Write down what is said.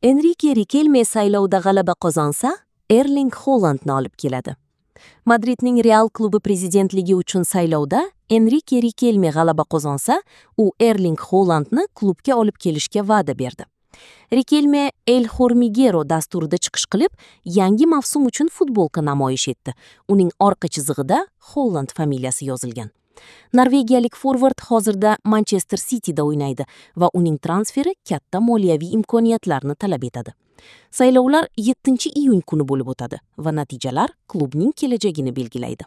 Enrike Rikelme saylovda g'alaba qozonsa, Erling Holandni olib keladi. Madridning Real klubi prezidentligi uchun saylovda Enrike Rikelme g'alaba qozonsa, u Erling Holandni klubga olib kelishga va'da berdi. Rikelme El Hormiguero dasturida chiqish qilib, yangi mavsum uchun futbolka namoyish etdi. Uning orqa chizig'ida Holand familiyasi yozilgan. Norvegiyalik forvard hozirda Manchester Cityda o'ynaydi va uning transferi katta moliyaviy imkoniyatlarni talab etadi. Saylovlar 7-iyun kuni bo'lib o'tadi va natijalar klubning kelajagini belgilaydi.